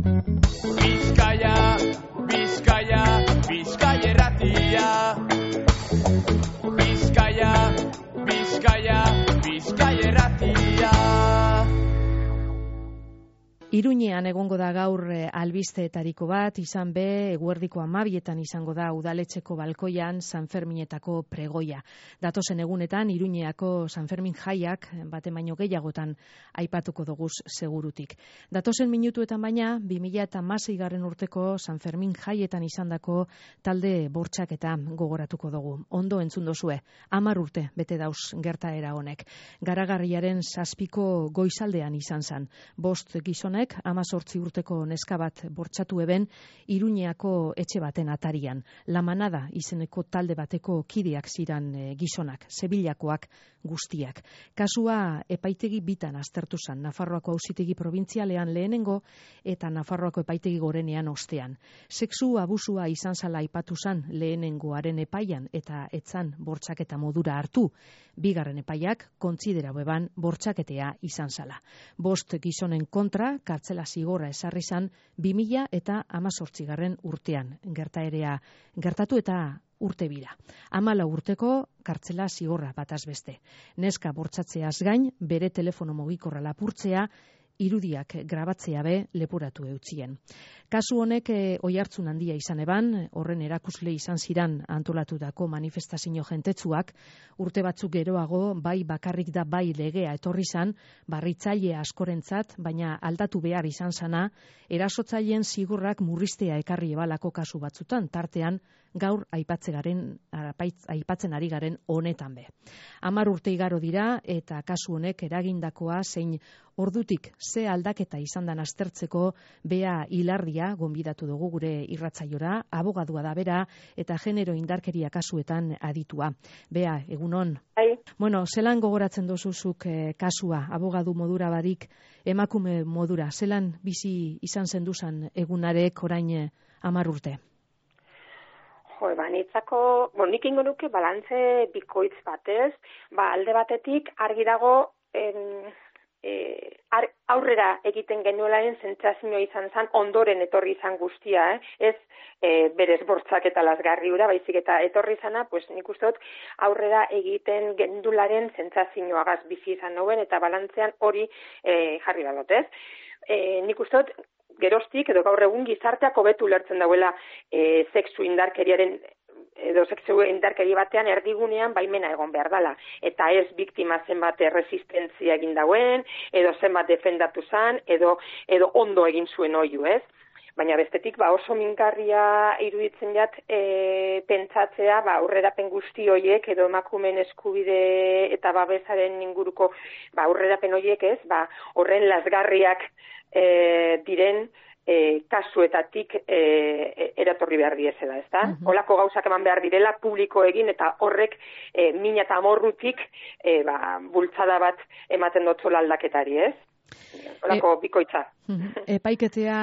Bizkaia, Bizkaia, Bizkaia erratia. Bizkaia, Bizkaia, Bizkaia erratia. Iruñean egongo da gaur albisteetariko bat, izan be, eguerdiko 12etan izango da udaletxeko balkoian Sanferminetako pregoia. Datozen egunetan, Iruñeako Sanfermin jaiak, bate baino gehiagotan aipatuko doguz segurutik. Datozen minutuetan baina, 2016 urteko Sanfermin jaietan izandako talde bortxaketa gogoratuko dugu. Ondo entzun dozue, 10 urte bete dauz gertaera honek. Garagarriaren 7ko goizaldean izan zen. 5 gizonek 18 urteko neska bat bortxatu eben Iruñeako etxe baten atarian. La Manada izeneko talde bateko kideak ziran gizonak, Sevillakoak guztiak. Kasua epaitegi bitan aztertu zen, Nafarroako auzitegi probintzialean lehenengo eta Nafarroako epaitegi gorenean ostean. Sexu abusua izan zala aipatu zen lehenengoaren epaian eta etzan bortxaketa modura hartu. Bigarren epaiak kontsidera beban bortxaketea izan zala. 5 gizonen kontra kartzela zigorra esarri zan 2018 urtean. Gertaerea gertatu eta urte bira. 14 urteko kartzela zigorra bataz beste. Neska bortzatzeaz gain, bere telefono mugikorra lapurtzea, irudiak grabatzea be leporatu eutzien. Kasu honek oihartzun handia izan eban, horren erakusle izan ziran antolatutako manifestazio jentetsuak, urte batzuk geroago bai bakarrik da bai legea etorri zan, barritzaile askorentzat, baina aldatu behar izan zana, erasotzaileen zigorrak murriztea ekarri ebalako kasu batzutan, tartean gaur aipatzen ari garen honetan be. 10 urte igaro dira eta kasu honek eragindakoa zein ordutik ze aldaketa izan dan aztertzeko Bea Ilardia gonbidatu dugu gure irratzaiora, abogadua da bera eta genero indarkeria kasuetan aditua. Bea, egunon. Bueno, zelan gogoratzen dozuzuk kasua, abogadu modura barik, emakume modura, zelan bizi izan zenduzan egunarek orain 10 urte? Nitzako, nik ingo nuke balantze bikoitz batez, alde batetik argi dago aurrera egiten genuelaren sentsazioa izan zen, ondoren etorri izan guztia, ez berez bortzak eta lasgarri ura, baizik eta etorri izana, nik uste dut aurrera egiten gendularen sentsazioagaz bizi izan noben, eta balantzean hori jarri badot, ez? Nik uste dut, geroztik edo gaur egun gizarteak hobetu ulertzen dauela sexu indarkeriaren edo sexu indarkeri batean erdigunean baimena egon behar dela. Eta ez biktima zenbat resistentzia egin dauen, edo zenbat defendatu zan, edo ondo egin zuen oiu, ez? Baina bestetik oso mingarria iruditzen jat pentsatzea aurrerapen guzti horiek edo emakumeen eskubide eta babesaren inguruko aurrerapen horiek, ez? Horren lasgarriak diren kasuetatik eratorri behar diezela, ez da? Holako gauzak eman behar direla publiko egin eta horrek mina eta amorrutik bultzada bat ematen dotzola aldaketari, ez? Holako bikoitza. Epaiketea,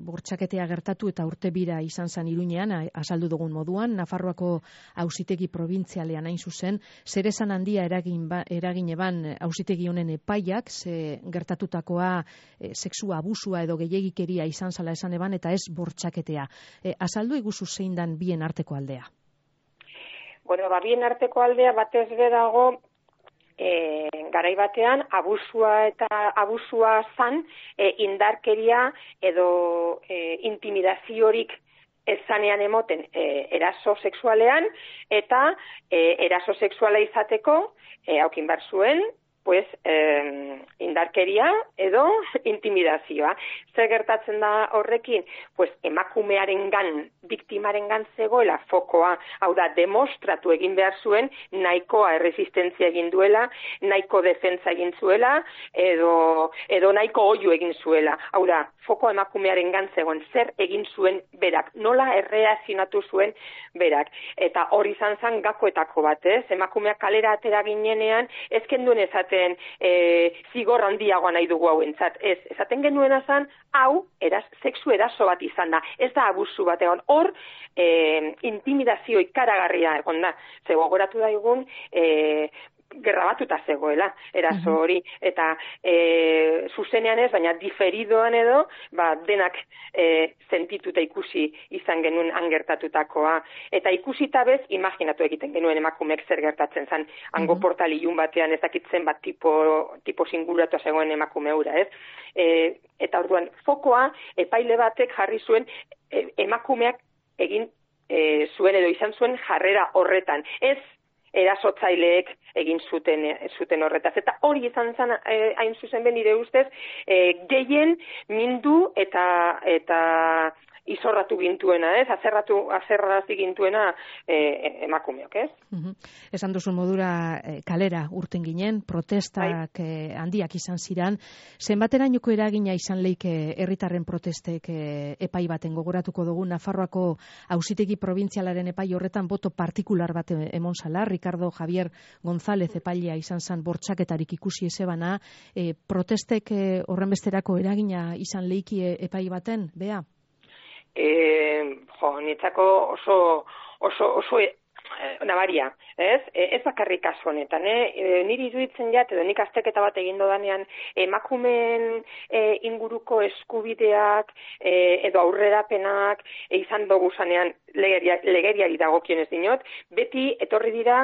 bortxaketea gertatu eta urte bira izan zen Iruñean, azaldu dugun moduan, Nafarroako auzitegi probintzialean hain zuzen, zer esan handia eragin eban auzitegi honen epaiak, ze gertatutakoa sexu abusua edo gehiegikeria izan zala esan eban, eta ez bortxaketea. Azaldu iguzu zein dan bien arteko aldea? Bueno, bien arteko aldea batez bedago, garai batean abusua zan indarkeria edo intimidaziorik ezanean emoten eraso sexualean eta eraso sexuala izateko aukin bar zuen indarkeria edo intimidazioa. Zer gertatzen da horrekin? Emakumearengan, biktimarengan zegoela fokoa, hau da, demostratu egin behar zuen, nahikoa erresistentzia egin duela, nahiko defentsa egin zuela, edo nahiko oiu egin zuela. Hau da, fokoa emakumearengan zegoen, zer egin zuen berak, nola erreazionatu zuen berak. Eta hori izan zen gakoetako bat, ez? Emakumeak kalera atera ginenean, ezken duen ezaten zigor handiagoa nahi dugu hauentzat. Ez, esaten genuena zen, hau, sexu eraso bat izan da. Ez da abusu bat egon. Hor, intimidazio ikaragarria egon da. Ze gogoratu daigun, grabatuta zegoela, eraso hori, eta zuzenean ez, baina diferidoan edo, denak sentituta ikusi izan genuen angertatutakoa. Eta ikusita bez, imaginatu egiten genuen emakumeek zer gertatzen zen, hango portal ilun batean ezakitzen bat tipo singulatua zegoen emakume hura, ez? Eta orduan, fokoa epaile batek jarri zuen emakumeak egin zuen edo izan zuen jarrera horretan. Ez erasotzaileek egin zuten horretaz. Eta hori izan zen, hain zuzen ben nire ustez, gehien mindu eta izorratu gintuena, ez? Azerrazi gintuena emakumeok, ez? Esan duzun modura kalera urten ginen, protestak handiak izan ziran. Zenbaterainoko eragina izan leike herritarren protestek epai baten gogoratuko dugu Nafarroako Auzitegi Probintzialaren epai horretan boto partikular bat emon zala, Ricardo Javier González epailea izan zen bortxaketarik ikusi ezebana, protestek horrenbesterako eragina izan leiki epai baten, Bea? Nietzako oso nabaria, ez? Ez bakarrik kasu honetan, niri iruditzen jat, edo nik azterketa bat egin dodanean, emakumeen inguruko eskubideak edo aurrerapenak izan dugu zanean legeriari dagokionez dinot, beti etorri dira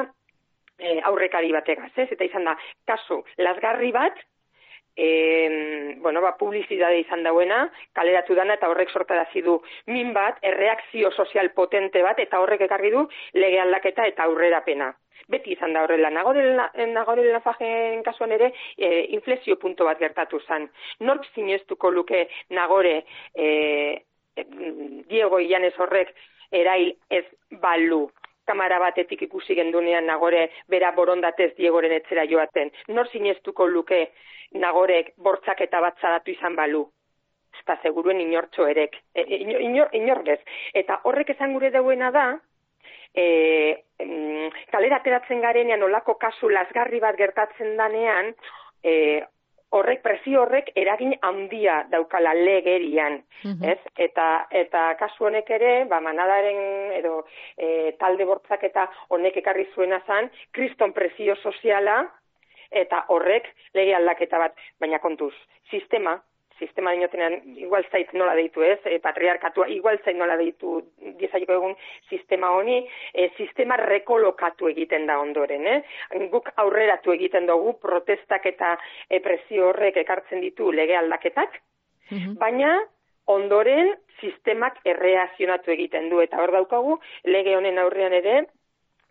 aurrekari bategaz, ez? Eta izan da, kasu, lasgarri bat, publizidade izan dauena, kaleratu dana eta horrek sortarazi du min bat, erreakzio sozial potente bat, eta horrek ekarri du lege aldaketa eta aurrerapena. Beti izan da horrela. Nagore Lafajen kasuan ere, inflexio punto bat gertatu zen. Nork sinestuko luke Nagore Diego Illanes horrek erail ez balu? Kamara batetik ikusi gendunean Nagore bera borondatez Diegoren etzera joaten. Nor sinestuko luke Nagorek bortzaketa bat zadatu izan balu? Eta seguruen inortxo erek. Inorgez. Eta horrek esan gure dauena da, kalera ateratzen garenean olako kasu lasgarri bat gertatzen danean, presio horrek eragin handia daukala legerian, ez? Eta kasu honek ere, manadaren edo talde bortzaketa honek ekarri zuena zan, kriston presio soziala, eta horrek lege aldaketa bat, baina kontuz, sistema dinotenean igual zait nola deitu, ez? Patriarkatua igual zait nola deitu diezaiko egun sistema honi, sistema rekolokatu egiten da ondoren, Guk aurreratu egiten dugu protestak eta presio horrek ekartzen ditu lege aldaketak, baina ondoren sistemak erreakzionatu egiten du, eta hor daukagu lege honen aurrean ere,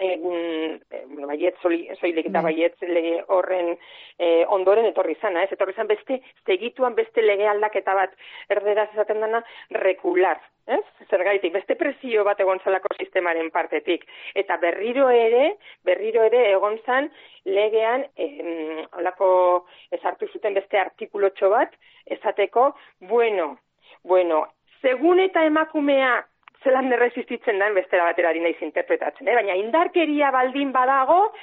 baiet soilik eta baiet lege horren ondoren etorri zana, ez? Etorri zan segituan beste lege aldaketa bat erderaz esaten dana regular, ez? Zergaitik, beste presio bat egon zalako sistemaren partetik. Eta berriro ere egon zan legean holako ezartu zuten beste artikulotxo bat esateko, bueno, segun eta emakumea zelan erresistitzen da, bestera batera naiz interpretatzen, baina indarkeria baldin badago,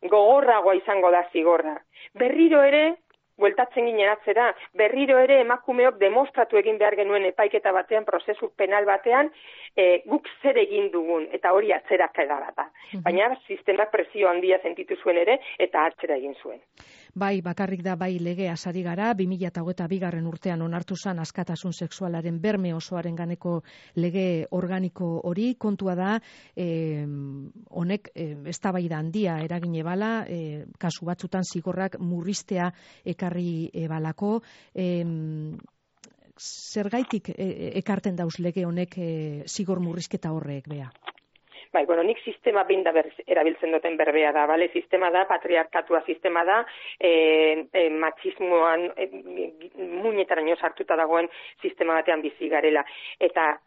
gogorragoa izango da zigorra. Berriro ere, bueltatzen ginen atzera, berriro ere emakumeok demostratu egin behar genuen epaiketa batean, prozesu penal batean, guk zer egin dugun, eta hori atzera edara da. Baina sistemak presio handia sentitu zuen ere, eta atzera egin zuen. Bai, bakarrik da bai legea sari gara, 2022 urtean onartu zan askatasun sexualaren berme osoaren ganeko lege organiko hori, kontua da, honek eztabaida handia eragine bala, kasu batzutan zigorrak murriztea ekarri balako, zergaitik ekarten dauz lege honek zigor murrizketa horrek, Bea? Nik sistema binda erabiltzen duten berbea da, bale? Sistema da, patriarkatua sistema da, matxismoan muinetaraino sartuta dagoen sistema batean bizi garela. Eta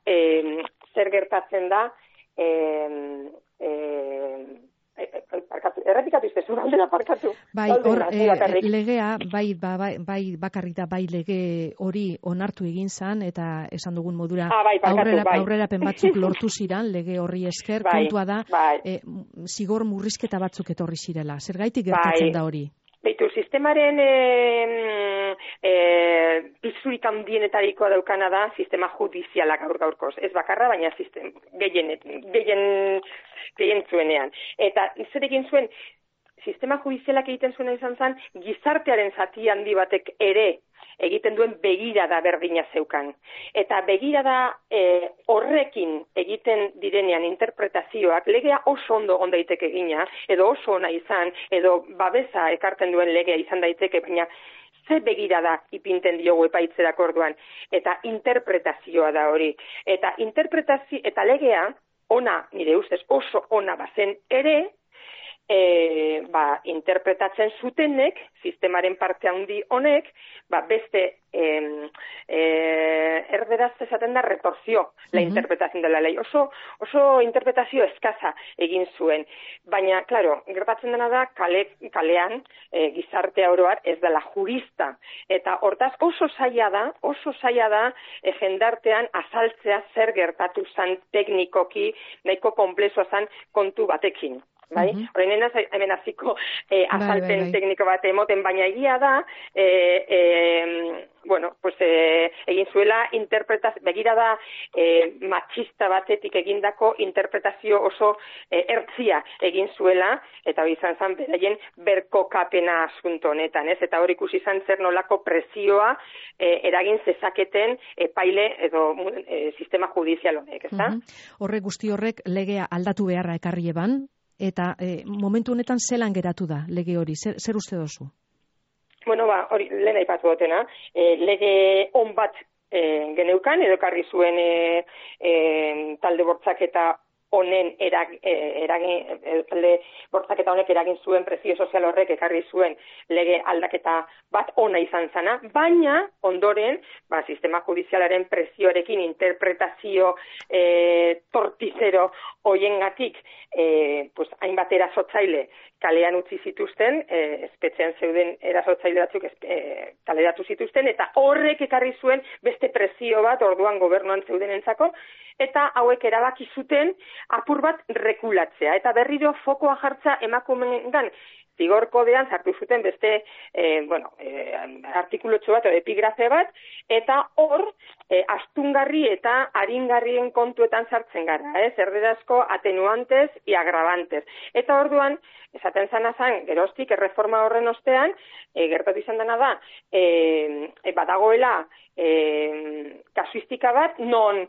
zer gertatzen da, errepikatu iztezu, galdera parkatu. Bai, hor, legea, bai bakarrik da, bai lege hori onartu egin zan, eta esan dugun modura aurrerapen batzuk lortu ziran, lege horri esker, kontua da, zigor murrizketa batzuk etorri zirela. Zergaitik gertatzen da hori? Beitu, sistemaren pisurik handienetarikoa daukana da sistema judiziala gaurkoz. Ez bakarra, baina gehien zuenean. Eta zer egin zuen, sistema judizialak egiten zuena izan zen, gizartearen zati handi batek ere egiten duen begirada berdina zeukan. Eta begirada horrekin egiten direnean interpretazioak, legea oso ondo egon daiteke egina, edo oso ona izan, edo babesa ekartzen duen legea izan daiteke, baina ze begirada ipinten diogu epaitzerako orduan, eta interpretazioa da hori. Eta interpretazio, eta legea, ona, nire ustez oso ona bazen ere, interpretatzen zutenek, sistemaren parte handi honek, beste erderaz esaten da retorzio, la interpretación de la ley. Oso interpretazio eskaza egin zuen. Baina, claro, gertatzen dena da, kalean, gizartea oroar ez dela jurista. Eta hortaz oso zaila da, jendartean azaltzea zer gertatu zan teknikoki, nahiko komplexua zan kontu batekin. Bai? Horrein hemen hasiko azalpen tekniko bat emoten, baina egia da, egin zuela begirada machista batetik egindako interpretazio oso ertzia egin zuela, eta hori izan zen beraien berkokapena asunto honetan, ez? Eta hori ikusi izan zer nolako presioa eragin zezaketen epaile edo sistema judizial honek, ezta? Horrek guzti horrek legea aldatu beharra ekarri eban, eta momentu honetan zelan geratu da lege hori, zer uste dozu? Bueno, hori lehen aipatu dutena, lege on bat geneukan, edo ekarri zuen talde bortzaketa honen talde bortzaketa honek eragin zuen presio sozial horrek ekarri zuen lege aldaketa bat ona izan zana, baina ondoren, sistema judizialaren presioarekin interpretazio tortizero hoiengatik, hainbat erasotzaile kalean utzi zituzten, espetxean zeuden erasotzaile batzuk kaleratu zituzten, eta horrek ekarri zuen beste presio bat orduan gobernuan zeudenentzako, eta hauek erabaki zuten apur bat rekulatzea. Eta berriro fokoa jartza emakumeengan zigor kodean sartu zuten beste artikulotxo bat, epigrafe bat, eta hor astungarri eta aringarrien kontuetan sartzen gara, erderazko atenuantes y agravantes. Eta orduan, esaten zana zen, geroztik, erreforma horren ostean, gertatu izan dena da, badagoela kasuistika bat, non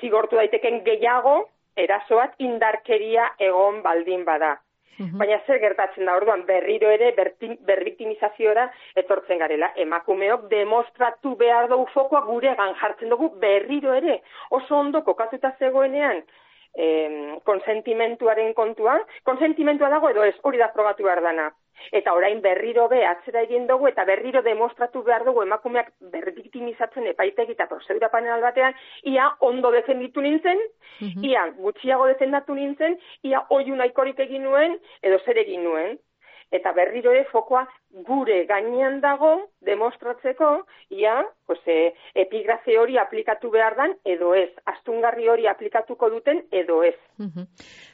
zigortu daiteken gehiago erasoat indarkeria egon baldin bada. Baina zer gertatzen da orduan berriro ere berbiktimizazioa etortzen garela. Emakumeok demostratu behar dugu fokoa guregan jartzen dugu berriro ere. Oso ondo kokatuta zegoenean konsentimentuaren kontua. Konsentimentua dago edo ez, hori da frogatu behar dana. Eta orain berriro atzera egin dugu eta berriro demostratu behar dugu emakumeak berbiktimizatzen epaitegi eta prozedura panel batean, ia ondo defenditu nintzen, ia gutxiago defendatu nintzen, ia oiu nahikorik egin nuen, edo zer egin nuen. Eta berriro fokoa gure gainean dago demostratzeko, ia epigrafe hori aplikatu behar dan, edo ez. Astungarri hori aplikatuko duten, edo ez.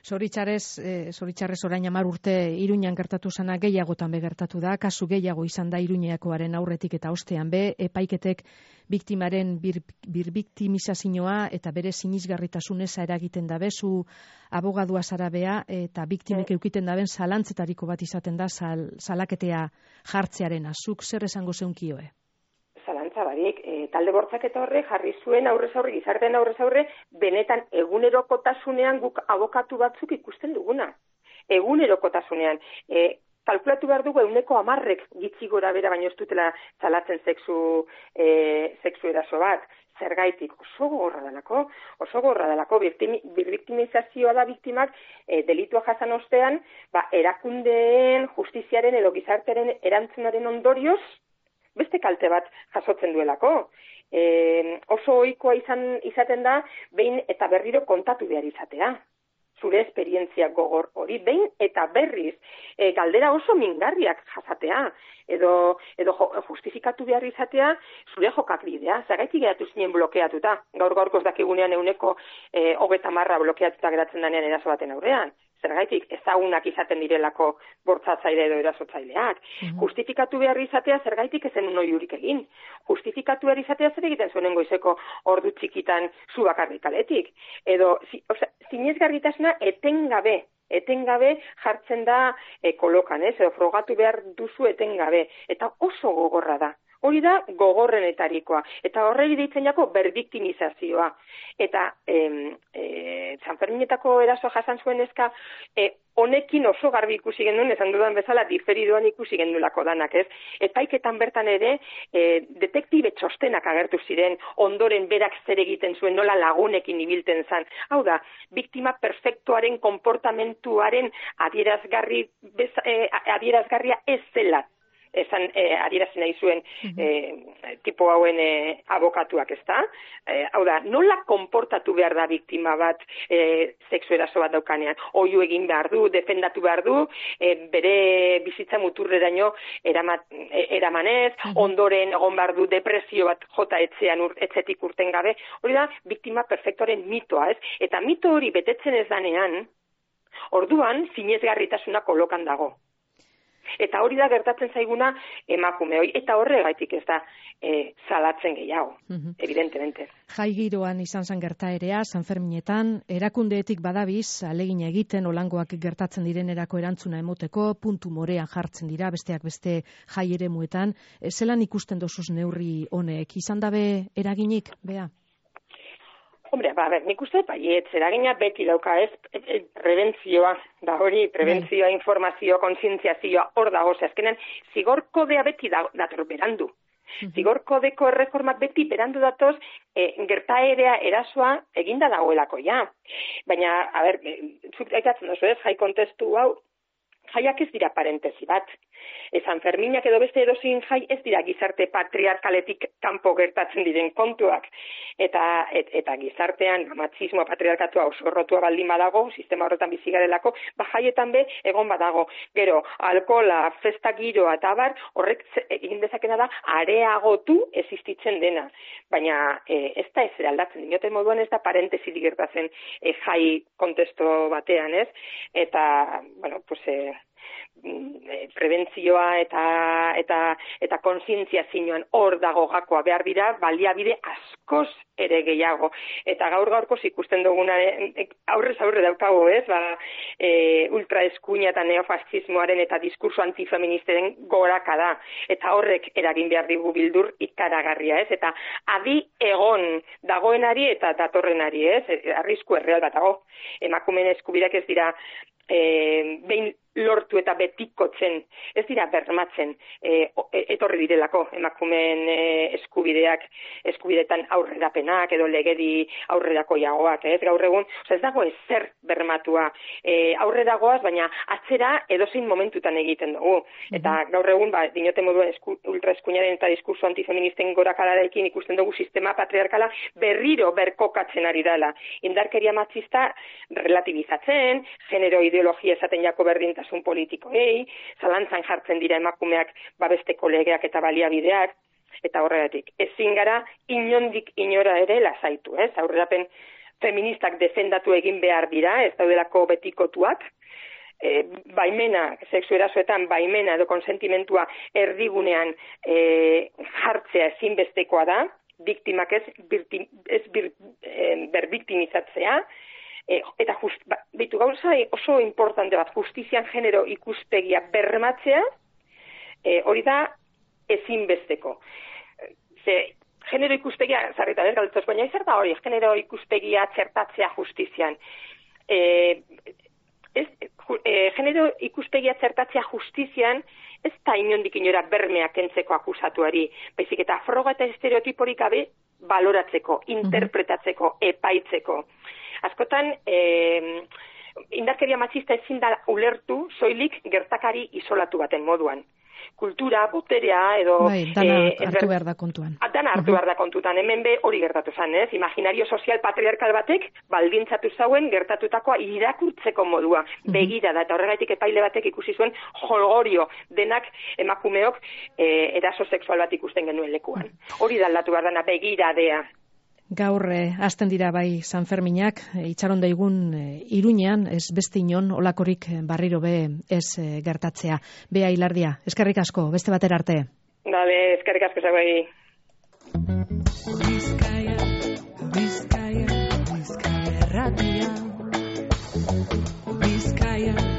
Zoritxarrez orain 10 urte Iruñan gertatu zana gehiagotan gertatu da, kasu gehiago izan da Iruñeakoaren aurretik eta ostean biktimarik biktimaren birbiktimizazioa eta bere sinisgarritasuneza eragiten dabe, zu abogadua zara bea, eta biktimek eukiten daben zalantzetariko bat izaten da salaketea jartzearen azuk, zer esango zeunkioe? Zalantza barik, talde bortzaketa horre jarri zuen aurrez aurre, gizartean aurrez aurre, benetan egunerokotasunean guk abokatu batzuk ikusten duguna. Egunerokotasunean. Kalkulatu behar dugu 10% gitzi gora bera, baino ez dutela zalatzen sexu eraso bat. Zergaitik oso gogorra dalako, birbiktimizazioa da biktimak delitua jasan ostean, erakundeen, justiziaren edo gizartearen erantzunaren ondorioz, beste kalte bat jasotzen duelako. Oso ohikoa izaten da, behin eta berriro kontatu behar izatea. Zure esperientzia gogor hori, behin eta berriz, galdera oso mingarriak jasatea, edo justifikatu behar izatea, zure jokak bidea, zagaitik geratu zinen blokeatuta, gaur-gaurkoz dakigunean 30% blokeatuta geratzen danean eraso baten aurrean. Zergaitik ezagunak izaten direlako bortzatzaile edo erasotzaileak. Justifikatu behar izatea zergaitik ezen oiurik egin. Justifikatu behar izatea zer egiten zuen goizeko ordu txikitan zu bakarrik kaletik. Edo, zinezgarritasuna etengabe etengabe jartzen da kolokan, edo frogatu behar duzu etengabe, eta oso gogorra da. Hori da gogorrenetarikoa, eta horregi deitzen jako berbiktimizazioa. Eta Sanferminetako erasoa jasan zuen eska, honekin oso garbi ikusi genuen, esan dudan bezala, diferidoan ikusi genduelako danak, ez? Epaiketan bertan ere, detektibe txostenak agertu ziren, ondoren berak zer egiten zuen, nola lagunekin ibilten zan. Hau da, biktima perfektuaren konportamentuaren adierazgarria ez zela. Esan adierazi nahi zuen tipo hauen abokatuak, ezta? Hau da, nola konportatu behar da biktima bat sexu eraso bat daukanean? Oihu egin behar du, defendatu behar du, bere bizitza muturreraino eramanez, ondoren egon behar du depresio bat jota etxetik urten gabe. Hori da, biktima perfektoren mitoa, ez? Eta mito hori betetzen ez danean, orduan sinesgarritasuna kolokan dago. Eta hori da gertatzen zaiguna emakume hori, eta horregaitik ez da salatzen gehiago, evidentemente. Jai giroan izan zen gertaerea, Sanferminetan, erakundeetik badabiz, alegina egiten, olangoak gertatzen direnerako erantzuna emoteko, puntu morean jartzen dira, besteak beste jai eremuetan. Zelan ikusten dozuz neurri honek, izan dabe eraginik, Bea? Hombre, nik uste, eragina beti dauka, ez, prebentzioa, da hori, prebentzioa, informazio, kontzientziazioa, hor dago, azkenan, zigor kodea beti dator berandu. Zigor kodeko erreformak beti berandu datoz, gertaerea erasoa eginda dagoelako, ja. Baina, zuk aitatzen dozu ez, jai kontestu hau, jaiak ez dira parentesi bat. Sanferminak edo beste edozein jai ez dira gizarte patriarkaletik kanpo gertatzen diren kontuak. Eta gizartean matxismoa, patriarkatua oso errotua baldin badago, sistema horretan bizi garelako, jaietan be egon badago. Gero, alkola, festa giroa eta abar, horrek egin dezakena da areagotu existitzen dena. Baina ez da ez aldatzen, dinoten moduan ez da parentesi gertatzen jai kontesto batean, ez? Eta, bueno, pues prebentzioa eta kontzientziazioan hor dago gakoa behar dira, baliabide askoz ere gehiago. Eta gaur-gaurkoz ikusten duguna aurrez aurre daukago, ez? Ultraeskuina eta neofascismoaren eta diskurso antifeministaren goraka da. Eta horrek eragin behar digu bildur ikaragarria, ez? Eta adi egon dagoenari eta datorrenari, ez? Arrisku erreal bat dago. Emakumeen eskubideak ez dira behin lortu eta betikotzen, ez dira bermatzen etorri direlako emakumeen eskubideetan aurrerapenak edo legedi aurrerako jagoak, ez gaur egun, ez dago ezer bermatua aurreragoaz, baina atzera edozein momentutan egiten dugu. Eta gaur egun, dinote moduen ultraeskuinaren eta diskurso antifeministen gorakadarekin ikusten dugu sistema patriarkala berriro berkokatzen ari dela. Indarkeria matxista relatibizatzen, genero ideologia esaten jako berdintasun politikoei, zalantzan jartzen dira emakumeak babesteko legeak eta baliabideak, eta horregatik. Ezin gara inondik inora ere lasaitu, ez? Aurrerapen feministak defendatu egin behar dira, ez daudelako betikotuak, baimena, sexu erasoetan baimena edo konsentimentua erdigunean jartzea ezinbestekoa da, biktimak ez berbiktimizatzea, eta gauza oso importante bat, justizian genero ikuspegia bermatzea, hori da ezinbesteko. Genero ikuspegia, zarritan ez galdetos, baina zer da hori, genero ikuspegia txertatzea justizian. Genero ikuspegia txertatzea justizian ez da inondik inora bermeak kentzeko akusatuari, baizik eta froga eta estereotiporik gabe baloratzeko, interpretatzeko, epaitzeko. Askotan, indarkeria matxista ezin da ulertu soilik gertakari isolatu baten moduan. Kultura, boterea, edo... Dana hartu behar da kontuan. Dana hartu behar da kontutan, hemen be hori gertatu zen, ez? Imaginario sozial patriarkal batek baldintzatu zauen gertatutakoa irakurtzeko modua, begira da, eta horregaitik epaile batek ikusi zuen jolgorio denak emakumeok eraso sexual bat ikusten genuen lekuan. Hori da aldatu behar dana, begiradea. Gaur hasten dira bai Sanferminak, itxaron daigun Iruñean, ez beste inon, olakorik barriro be ez gertatzea. Bea Ilardia, eskerrik asko, beste batera arte. Dale, eskerrik asko zagoegi. Bizkaia, Bizkaia, Bizkaia, Bizkaia. Bizkaia.